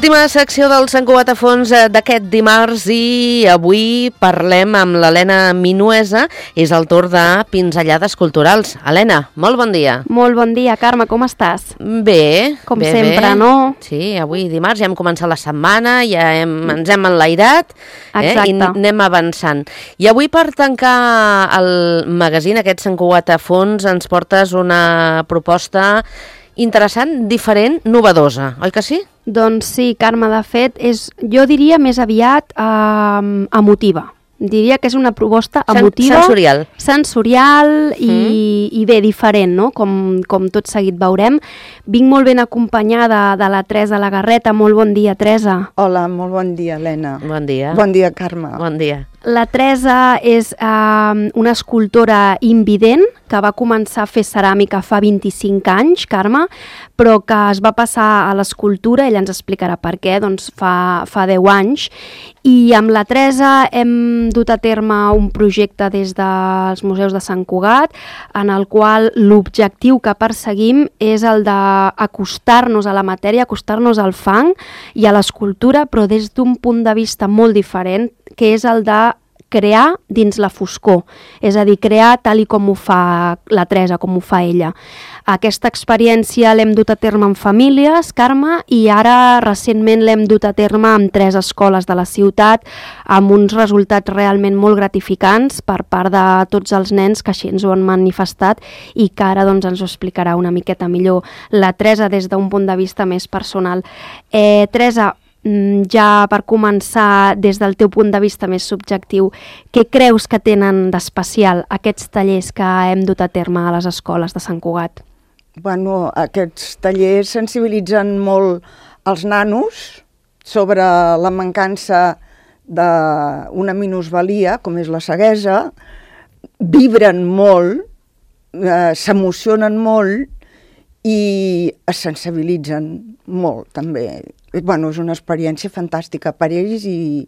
Última secció del Sant Cugat a fons d'aquest dimarts i avui parlem amb l'Helena Minuesa. És el torn de pinzellades culturals. Helena, molt bon dia. Molt bon dia, Carme, com estàs? Bé. Com sempre, no? Sí, avui dimarts ja hem començat la setmana, ja ens hem enlairat i anem avançant. I avui per tancar el magazín, aquest Sant Cugat a fons, ens portes una proposta interessant, diferent, novedosa, oi que sí? Doncs sí, Carme, de fet, jo diria més aviat emotiva. Diria que és una proposta emotiva, sensorial i bé, diferent, no? Com tot seguit veurem. Vinc molt ben acompanyada de la Teresa Lagarreta. Molt bon dia, Teresa. Hola, molt bon dia, Helena. Bon dia. Bon dia, Carme. Bon dia. La Teresa és una escultora invident que va començar a fer ceràmica fa 25 anys, Carme, però que es va passar a l'escultura, ella ens explicarà per què, doncs fa 10 anys, i amb la Teresa hem dut a terme un projecte des dels museus de Sant Cugat, en el qual l'objectiu que perseguim és el d'acostar-nos a la matèria, acostar-nos al fang i a l'escultura, però des d'un punt de vista molt diferent, que és el de crear dins la foscor, és a dir, crear tal i com ho fa la Teresa, com ho fa ella. Aquesta experiència l'hem dut a terme amb famílies, Carme, i ara recentment l'hem dut a terme amb 3 escoles de la ciutat, amb uns resultats realment molt gratificants per part de tots els nens que així ens ho han manifestat i que ara doncs, ens ho explicarà una miqueta millor la Teresa des d'un punt de vista més personal. Teresa, ja per començar, des del teu punt de vista més subjectiu, què creus que tenen d'especial aquests tallers que hem dut a terme a les escoles de Sant Cugat? Bueno, aquests tallers sensibilitzen molt els nanos sobre la mancança d'una minusvalia, com és la ceguesa, vibren molt, s'emocionen molt i es sensibilitzen molt, també. Bueno, és una experiència fantàstica per ells i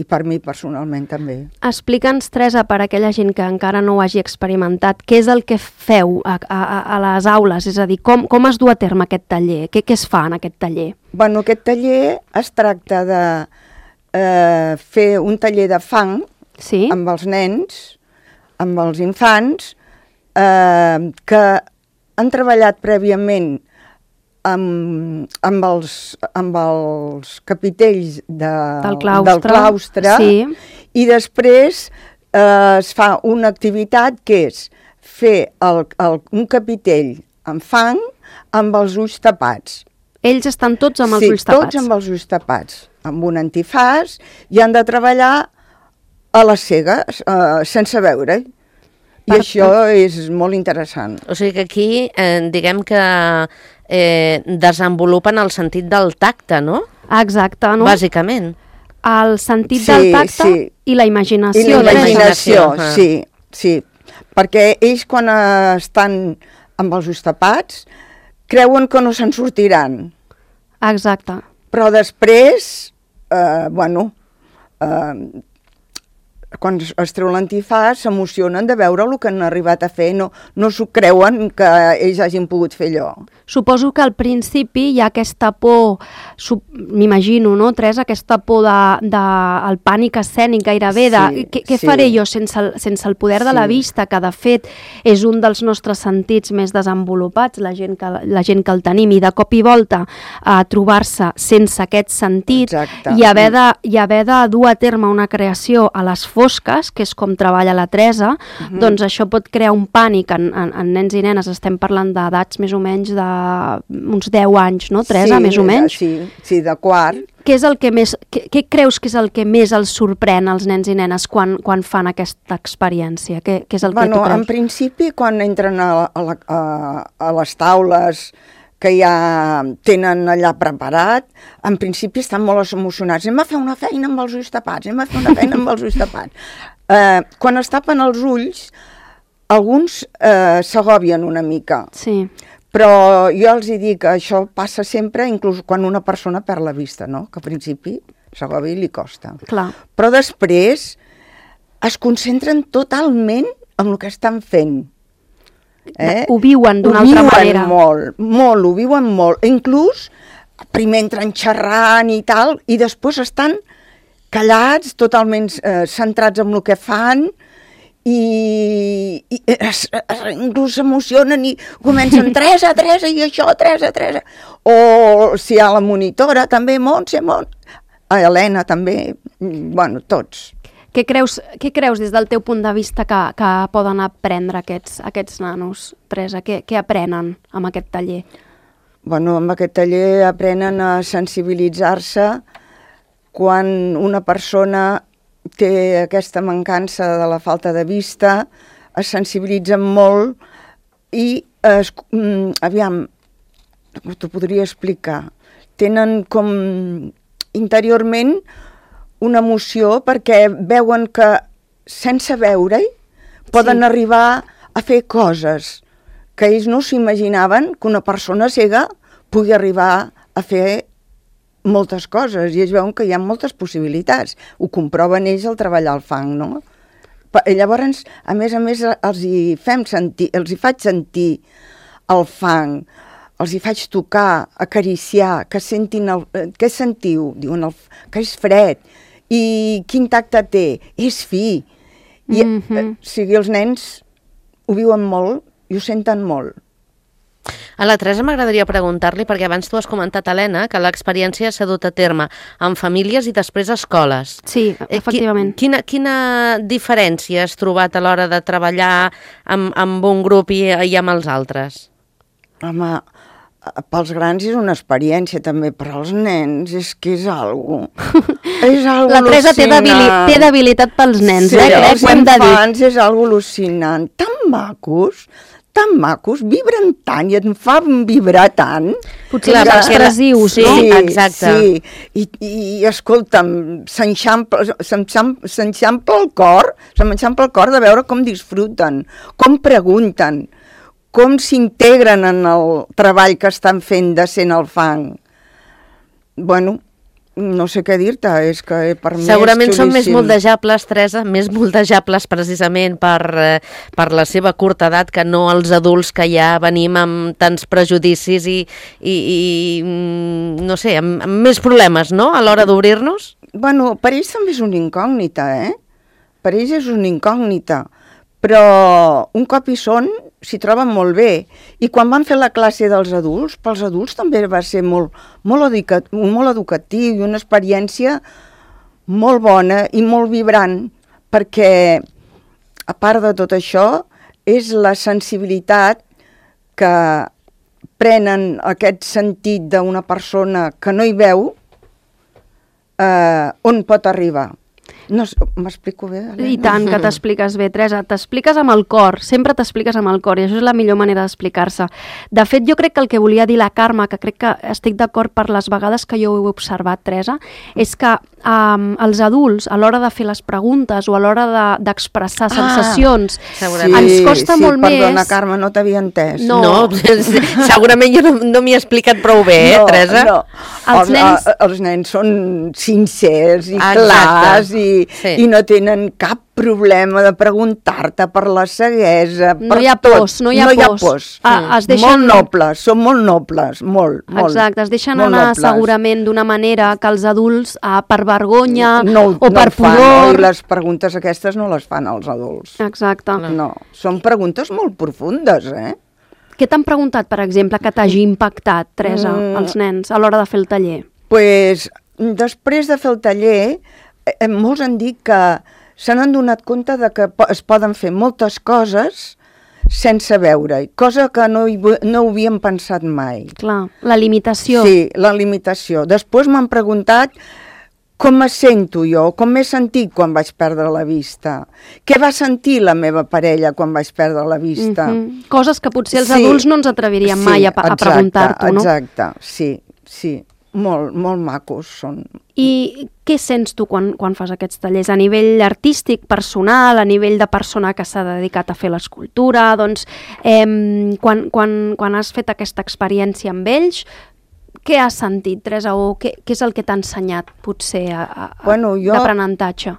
per mi personalment també. Explica'ns, Teresa, per aquella gent que encara no ho hagi experimentat, què és el que feu a les aules? És a dir, com es du a terme aquest taller? Què es fa en aquest taller? Bueno, aquest taller es tracta de fer un taller de fang amb els nens, amb els infants, que han treballat prèviament amb els capitells del claustre i després es fa una activitat que és fer un capitell amb fang amb els ulls tapats. Ells estan tots amb els ulls tapats? Sí, tots amb els ulls tapats, amb un antifaç, i han de treballar a les cegues, sense veure. I això és molt interessant. O sigui que aquí, diguem que desenvolupen el sentit del tacte, no? Exacte, no? Bàsicament. El sentit del tacte i la imaginació. I la imaginació, sí. Perquè ells quan estan amb els ulls tapats creuen que no se'n sortiran. Exacte. Però després, quan es treu l'antifaç, s'emocionen de veure el que han arribat a fer, no s'ho creuen que ells hagin pogut fer allò. Suposo que al principi hi ha aquesta por, m'imagino, no, Teresa, aquesta por del pànic escènic gairebé, què faré jo sense el poder de la vista, que de fet és un dels nostres sentits més desenvolupats, la gent que el tenim, i de cop i volta a trobar-se sense aquest sentit i haver de dur a terme una creació a les fosques, que és com treballa la Teresa, doncs això pot crear un pànic en nens i nenes. Estem parlant d'edats més o menys d'uns 10 anys, no, Teresa, més o menys? Sí, de quart. Què creus que és el que més els sorprèn als nens i nenes quan fan aquesta experiència? Què és el que tu creus? En principi, quan entren a les taules que ja tenen allà preparat, en principi estan molt emocionats. Anem a fer una feina amb els ulls tapats, Quan es tapen els ulls, alguns s'agòbien una mica. Sí. Però jo els dic que això passa sempre, inclús quan una persona perd la vista, no? Que al principi s'agòbia i li costa. Clar. Però després es concentren totalment en el que estan fent. Ho viuen d'una altra manera. Ho viuen molt. Inclús primer entren xerrant i tal, i després estan callats, totalment centrats en el que fan, i inclús s'emocionen i comencen Teresa, i això, Teresa. O si hi ha la monitora, també, Montse, Helena també, bueno, tots. Què creus des del teu punt de vista que poden aprendre aquests nanos, Teresa? Què aprenen amb aquest taller? Bueno, amb aquest taller aprenen a sensibilitzar-se quan una persona té aquesta mancança de la falta de vista, es sensibilitzen molt i, aviam, t'ho podria explicar, tenen com interiorment una emoció perquè veuen que sense veure-hi poden arribar a fer coses que ells no s'imaginaven que una persona cega pugui arribar a fer moltes coses, i ells veuen que hi ha moltes possibilitats. Ho comproven ells al treballar el fang, no? Llavors, a més, els hi faig sentir el fang, els hi faig tocar, acariciar, que sentin què sentiu? Diuen que és fred, i quin tacte té? És fi. I, o sigui, els nens ho viuen molt i ho senten molt. A la Teresa m'agradaria preguntar-li, perquè abans tu has comentat, Helena, que l'experiència s'ha dut a terme en famílies i després a escoles. Sí, efectivament. Quina diferència has trobat a l'hora de treballar amb un grup i amb els altres? Home, pels grans és una experiència també, però els nens és que és algo al·lucinant. La Teresa té debilitat pels nens, sí, els infants és algo al·lucinant. Tan macos, vibren tant i em fan vibrar tant. Potser els expressius, no? Sí, exacte. Sí, i escolta'm, s'enxampla el cor de veure com disfruten, com pregunten, com s'integren en el treball que estan fent de sent el fang. Bueno, no sé què dir-te, és que per mi segurament són més moldejables, Teresa, més moldejables precisament per la seva curta edat que no els adults que ja venim amb tants prejudicis i no sé, amb més problemes, no?, a l'hora d'obrir-nos. Bueno, per ells també és una incògnita, Per ells és una incògnita, però un cop hi són, s'hi troben molt bé. I quan van fer la classe dels adults, pels adults també va ser molt educatiu i una experiència molt bona i molt vibrant, perquè, a part de tot això, és la sensibilitat que prenen aquest sentit d'una persona que no hi veu, on pot arribar. No, m'explico bé, Helena? I tant, que t'expliques bé, Teresa. T'expliques amb el cor, sempre t'expliques amb el cor, i això és la millor manera d'explicar-se. De fet, jo crec que el que volia dir la Carme, que crec que estic d'acord per les vegades que jo ho he observat, Teresa, és que els adults, a l'hora de fer les preguntes o a l'hora d'expressar sensacions, ens costa molt més... Sí, perdona, Carme, no t'havia entès. No, segurament jo no m'hi he explicat prou bé, Teresa? No, els nens són sincers i clars i no tenen cap problema de preguntar-te per la ceguesa, no hi ha pors, no hi ha pors. Molt nobles, són molt nobles, molt. Exacte, es deixen anar segurament d'una manera que els adults, per vergonya o per pudor... I les preguntes aquestes no les fan els adults. Exacte. No, són preguntes molt profundes, Què t'han preguntat, per exemple, que t'hagi impactat, Teresa, els nens, a l'hora de fer el taller? Pues, després de fer el taller, molts han dit que se n'han donat compte de que es poden fer moltes coses sense veure-hi, cosa que no ho havíem pensat mai. Clar, la limitació. Sí, la limitació. Després m'han preguntat com me sento jo, com m'he sentit quan vaig perdre la vista, què va sentir la meva parella quan vaig perdre la vista. Coses que potser els adults no ens atreviríem mai a preguntar-t'ho, no? Exacte, sí. Molt macos són. I què sents tu quan fas aquests tallers? A nivell artístic, personal, a nivell de persona que s'ha dedicat a fer l'escultura, doncs, quan has fet aquesta experiència amb ells, què has sentit, Teresa, o què és el que t'ha ensenyat, potser, d'aprenentatge?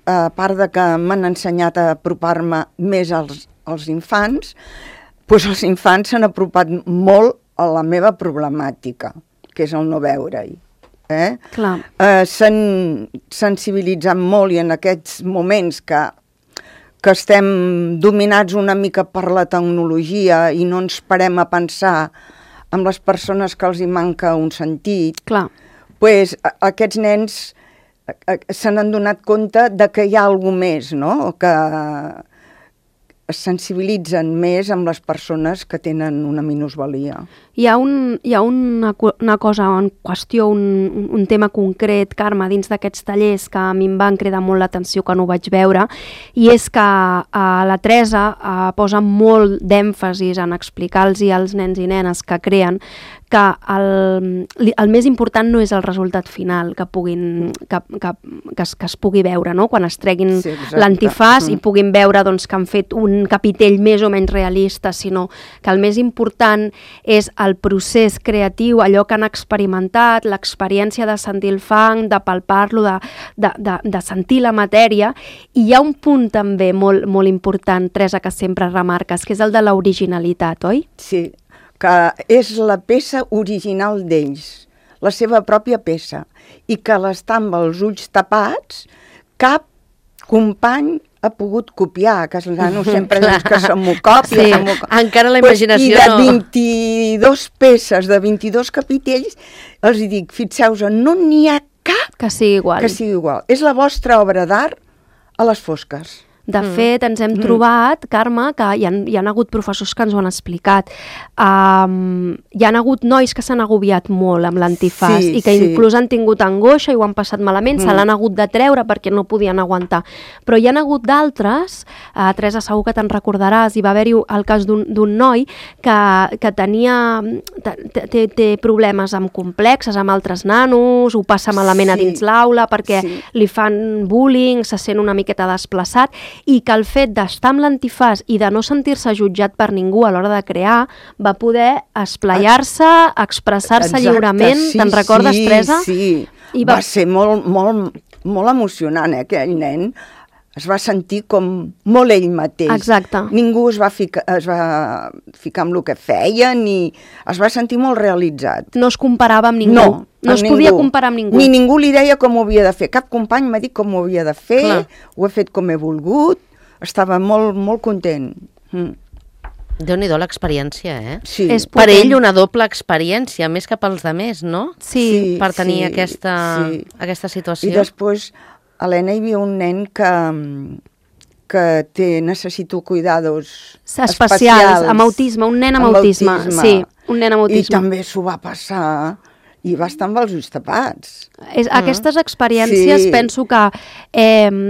A part de que m'han ensenyat a apropar-me més als infants, doncs els infants s'han apropat molt a la meva problemàtica. que és el no veure-hi. Clar. S'han sensibilitzat molt i en aquests moments que estem dominats una mica per la tecnologia i no ens parem a pensar en les persones que els hi manca un sentit, pues, aquests nens se n'han donat compte de que hi ha alguna més, no? Que es sensibilitzen més amb les persones que tenen una minusvalia. Hi ha una cosa en qüestió, un tema concret, Carme, dins d'aquests tallers que a mi em van cridar molt l'atenció quan ho vaig veure, i és que la Teresa posa molt d'èmfasis en explicar-los als nens i nenes que creen que el més important no és el resultat final que es pugui veure, no? Quan es treguin l'antifàs i puguin veure doncs, que han fet un capitell més o menys realista, sinó que el més important és el procés creatiu, allò que han experimentat, l'experiència de sentir el fang, de palpar-lo, de sentir la matèria. I hi ha un punt també molt, molt important, Teresa, que sempre remarques, que és el de l'originalitat, oi? Sí, que és la peça original d'ells, la seva pròpia peça, i que l'estar amb els ulls tapats, cap company ha pogut copiar, que els nanos sempre dius que se m'ho copia. Sí, encara la imaginació no. I de 22 peces, de 22 capitells, els dic, fixeu-vos, no n'hi ha cap que sigui igual. És la vostra obra d'art a les fosques. De fet, ens hem trobat, Carme, que hi han hagut professors que ens ho han explicat. Hi han hagut nois que s'han agobiat molt amb l'antifàs i que inclús han tingut angoixa i ho han passat malament, se l'han hagut de treure perquè no podien aguantar. Però hi han hagut d'altres, Teresa, segur que te'n recordaràs, hi va haver-hi el cas d'un noi que té problemes amb complexes, amb altres nanos, ho passa malament a dins l'aula perquè li fan bullying, se sent una miqueta desplaçat, i que el fet d'estar amb l'antifàs i de no sentir-se jutjat per ningú a l'hora de crear va poder esplaiar-se, expressar-se lliurement. Te'n recordes, Teresa? Sí, va ser molt emocionant, aquell nen. Es va sentir com molt ell mateix. Exacte. Ningú es va ficar amb el que feia, ni es va sentir molt realitzat. No es comparava amb ningú. No es podia comparar amb ningú. Ni ningú li deia com ho havia de fer. Cap company m'ha dit com ho havia de fer, ho he fet com he volgut, estava molt, molt content. Déu-n'hi-do l'experiència, eh? Sí. Per ell una doble experiència, més que pels altres, no? Sí. Per tenir aquesta situació. I després, Helena, hi havia un nen que necessito cuidados especials, amb autisme, un nen amb autisme. Sí, un nen amb autisme. I també s'ho va passar i va estar amb els ulls tapats. Aquestes experiències penso que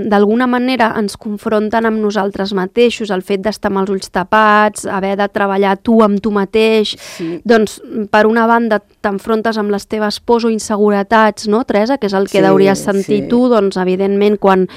d'alguna manera ens confronten amb nosaltres mateixos, el fet d'estar amb els ulls tapats, haver de treballar tu amb tu mateix, doncs per una banda t'enfrontes amb les teves pors o inseguretats, no, Teresa, que és el que hauries sentit tu, doncs evidentment quan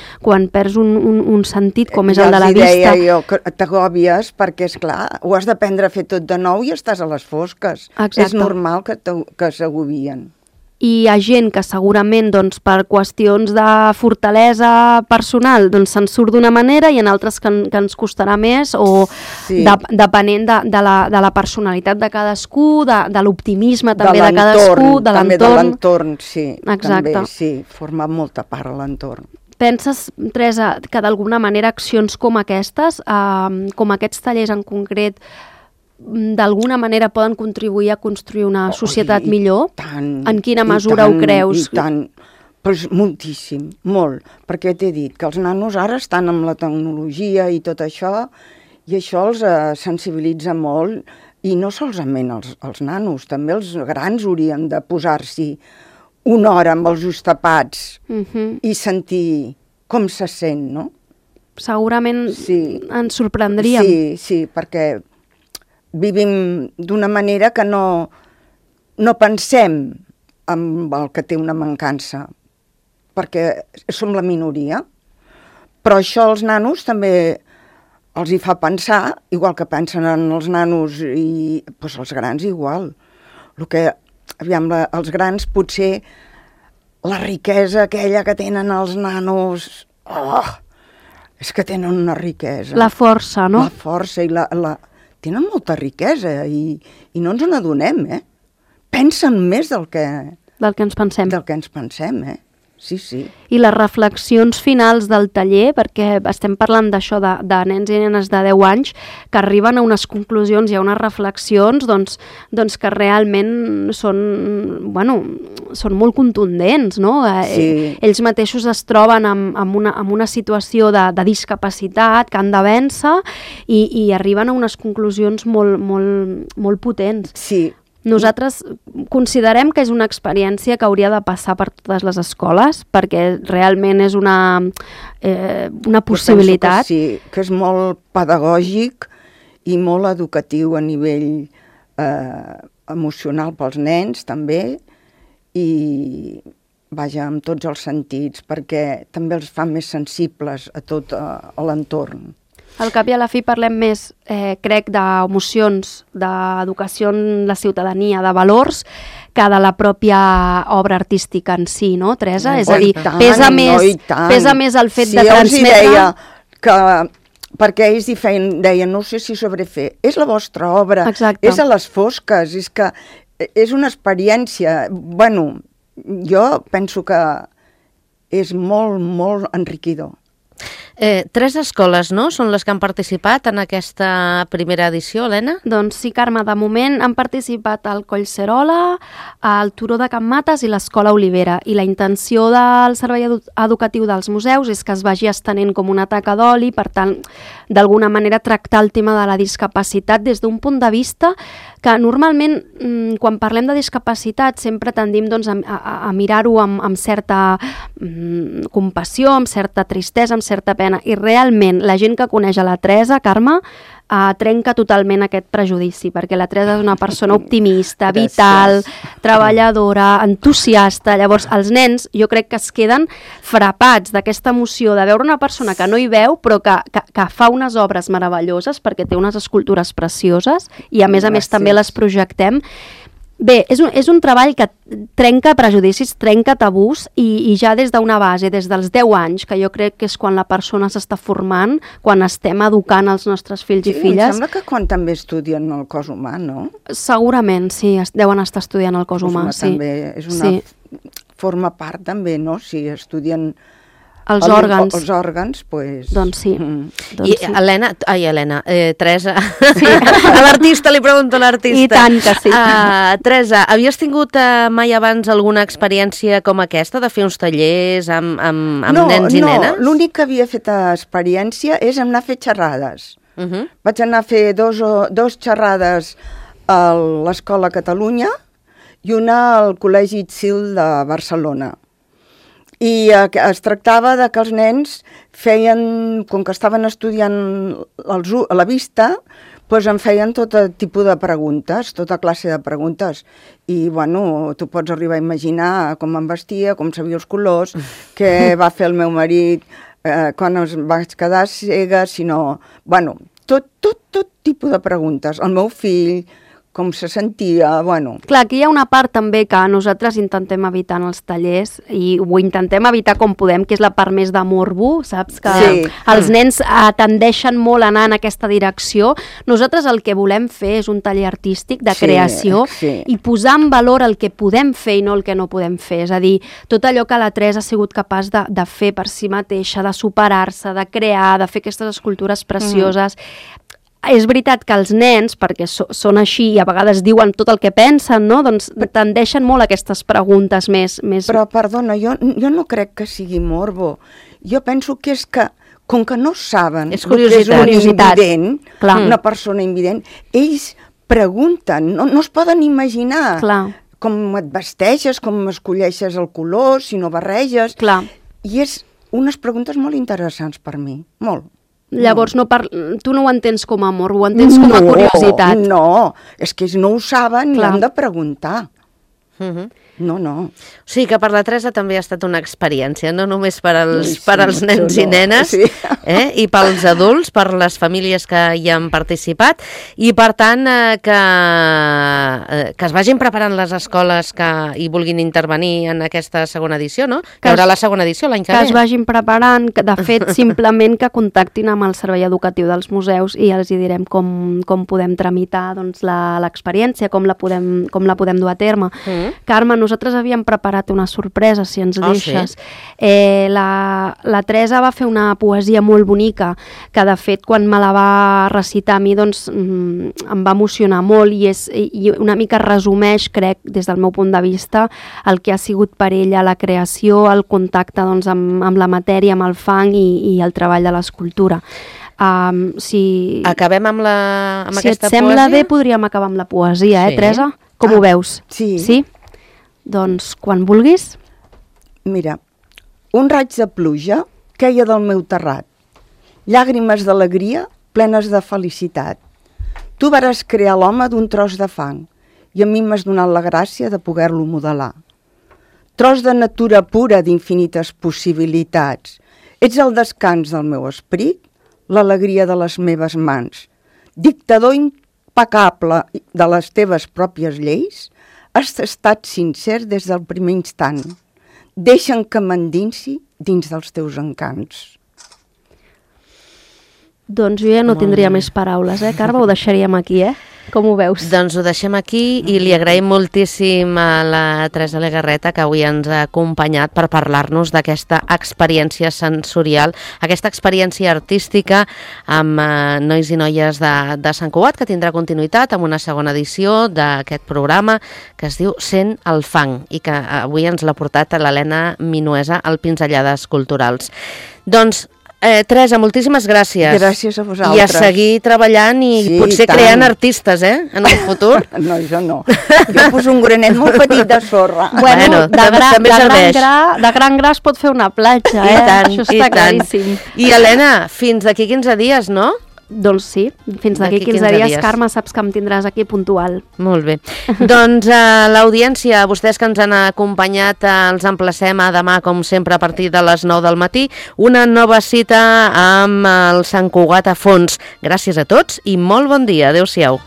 perds un sentit com és el de la vista. Ja els deia jo que t'agòbies perquè, esclar, ho has d'aprendre a fer tot de nou i estàs a les fosques. És normal que s'agobien. I hi ha gent que segurament doncs, per qüestions de fortalesa personal doncs, se'n surt d'una manera i en altres que ens costarà més o depenent de la personalitat de cadascú, de l'optimisme també de cadascú, de l'entorn. També de l'entorn, sí. Exacte. També, sí, forma molta part a l'entorn. Penses, Teresa, que d'alguna manera accions com aquestes, com aquests tallers en concret, d'alguna manera poden contribuir a construir una societat millor? En quina mesura ho creus? I tant, però moltíssim, molt, perquè t'he dit que els nanos ara estan amb la tecnologia i tot això, i això els sensibilitza molt, i no solament els nanos, també els grans haurien de posar-s'hi una hora amb els ulls tapats i sentir com se sent, no? Segurament ens sorprendríem. Sí, perquè vivim d'una manera que no pensem en el que té una mancança, perquè som la minoria, però això als nanos també els hi fa pensar, igual que pensen en els nanos i doncs els grans igual. Els grans potser la riquesa aquella que tenen els nanos, és que tenen una riquesa. La força, no? La força i tenen molta riquesa i no ens n'adonem, pensen més del que ens pensem. Del que ens pensem, Sí. I les reflexions finals del taller, perquè estem parlant d'això, de nens i nenes de 10 anys, que arriben a unes conclusions i a unes reflexions doncs que realment són molt contundents, no? Sí. Ells mateixos es troben amb una situació de discapacitat que han de vèncer i arriben a unes conclusions molt potents. Sí. Nosaltres considerem que és una experiència que hauria de passar per totes les escoles, perquè realment és una possibilitat. Jo penso que sí, que és molt pedagògic i molt educatiu a nivell emocional pels nens, també, i vaja, amb tots els sentits, perquè també els fa més sensibles a tot l'entorn. Al cap i a la fi parlem més, crec, d'emocions, d'educació en la ciutadania, de valors, que de la pròpia obra artística en si, no, Teresa? És a dir, pesa més el fet de transmetre... Sí, deia que... Perquè ells deien, no sé si sobrefer, és la vostra obra, exacte, és a les fosques, és que és una experiència... Bueno, jo penso que és molt, molt enriquidor. 3 escoles, no?, són les que han participat en aquesta primera edició, Helena? Doncs sí, Carme, de moment han participat el Collserola, el Turó de Can Mates i l'Escola Olivera, i la intenció del servei educatiu dels museus és que es vagi estenent com una taca d'oli, per tant, d'alguna manera tractar el tema de la discapacitat des d'un punt de vista que normalment, quan parlem de discapacitat, sempre tendim doncs, a mirar-ho amb certa compassió, amb certa tristesa, amb certa pena, i realment la gent que coneix a la Teresa, Carme, trenca totalment aquest prejudici, perquè la Teresa és una persona optimista, vital, treballadora, entusiasta. Llavors, els nens jo crec que es queden frapats d'aquesta emoció de veure una persona que no hi veu, però que fa unes obres meravelloses, perquè té unes escultures precioses, i a més també les projectem. Bé, és un treball que trenca prejudicis, trenca tabús, i ja des d'una base, des dels 10 anys, que jo crec que és quan la persona s'està formant, quan estem educant els nostres fills i filles. Em sembla que quan també estudien el cos humà, no? Segurament, sí, deuen estar estudiant el cos humà, sí. També és una forma part també, no? Si estudien els òrgans. Els òrgans, doncs... Doncs sí. I Helena, Teresa, a l'artista, li pregunto a l'artista. I tant que sí. Teresa, havies tingut mai abans alguna experiència com aquesta, de fer uns tallers amb nens i nenes? No, l'únic que havia fet experiència és anar a fer xerrades. Vaig anar a fer dos xerrades a l'Escola Catalunya i una al Col·legi Tsil de Barcelona. I es tractava de que els nens feien, com que estaven estudiant a la vista, doncs em feien tot tipus de preguntes, tota classe de preguntes. I, bueno, tu pots arribar a imaginar com em vestia, com sabia els colors, què va fer el meu marit quan es vaig quedar cega, sinó... Bueno, tot tipus de preguntes. El meu fill... com se sentia, bueno... Clar, aquí hi ha una part també que nosaltres intentem evitar en els tallers, i ho intentem evitar com podem, que és la part més de morbo, saps? Que els nens tendeixen molt a anar en aquesta direcció. Nosaltres el que volem fer és un taller artístic de creació i posar en valor el que podem fer i no el que no podem fer. És a dir, tot allò que la Teresa ha sigut capaç de fer per si mateixa, de superar-se, de crear, de fer aquestes escultures precioses... És veritat que els nens, perquè són així i a vegades diuen tot el que pensen, no? Doncs tendeixen molt a aquestes preguntes més... Però, perdona, jo no crec que sigui morbo. Jo penso que és que, com que no saben és curiositat. Que és un invident, una persona invident, ells pregunten, no es poden imaginar com et vesteixes, com escolleixes el color, si no barreges... I és unes preguntes molt interessants per mi, molt. Llavors tu no ho entens com a amor, ho entens com a curiositat. No, és que ells no ho saben i han de preguntar. No. O sigui que per la Teresa també ha estat una experiència, no només per als nens i nenes, i pels adults, per les famílies que hi han participat, i per tant que es vagin preparant les escoles que hi vulguin intervenir en aquesta segona edició, no? Que hi haurà la segona edició l'any que ve. Que es vagin preparant, de fet, simplement que contactin amb el servei educatiu dels museus i els hi direm com podem tramitar l'experiència, com la podem dur a terme. Carme, nosaltres havíem preparat una sorpresa, si ens deixes. Sí? La Teresa va fer una poesia molt bonica, que de fet quan me la va recitar a mi doncs em va emocionar molt i una mica resumeix, crec, des del meu punt de vista, el que ha sigut per ella la creació, el contacte doncs, amb la matèria, amb el fang i el treball de l'escultura. Acabem amb aquesta poesia? Si et sembla bé, podríem acabar amb la poesia, Teresa? Com ho veus? Sí. Doncs, quan vulguis. Mira, un raig de pluja queia del meu terrat, llàgrimes d'alegria plenes de felicitat. Tu vares crear l'home d'un tros de fang i a mi m'has donat la gràcia de poder-lo modelar. Tros de natura pura d'infinites possibilitats. Ets el descans del meu esperit, l'alegria de les meves mans. Dictador impecable de les teves pròpies lleis, has estat sincer des del primer instant. Deixa'm que m'endinsi dins dels teus encants. Doncs jo ja no tindria més paraules, Carme? Ho deixaríem aquí, Com ho veus? Doncs ho deixem aquí i li agraïm moltíssim a la Teresa Legarreta que avui ens ha acompanyat per parlar-nos d'aquesta experiència sensorial, aquesta experiència artística amb nois i noies de Sant Cugat, que tindrà continuïtat amb una segona edició d'aquest programa que es diu Sent el fang i que avui ens l'ha portat a l'Helena Minuesa al Pinzellades Culturals. Doncs Teresa, moltíssimes gràcies. Gràcies a vosaltres. I a seguir treballant i potser creant artistes, en un futur. No, jo no. Jo poso un granet molt petit de sorra. Bueno, de gran gra es pot fer una platja, Això està claríssim. I Helena, fins d'aquí 15 dies, no? Doncs sí, fins d'aquí 15 dies, Carme, saps que em tindràs aquí puntual. Molt bé. Doncs l'audiència, vostès que ens han acompanyat, els emplacem a demà, com sempre, a partir de les 9 del matí, una nova cita amb el Sant Cugat a fons. Gràcies a tots i molt bon dia. Adéu-siau.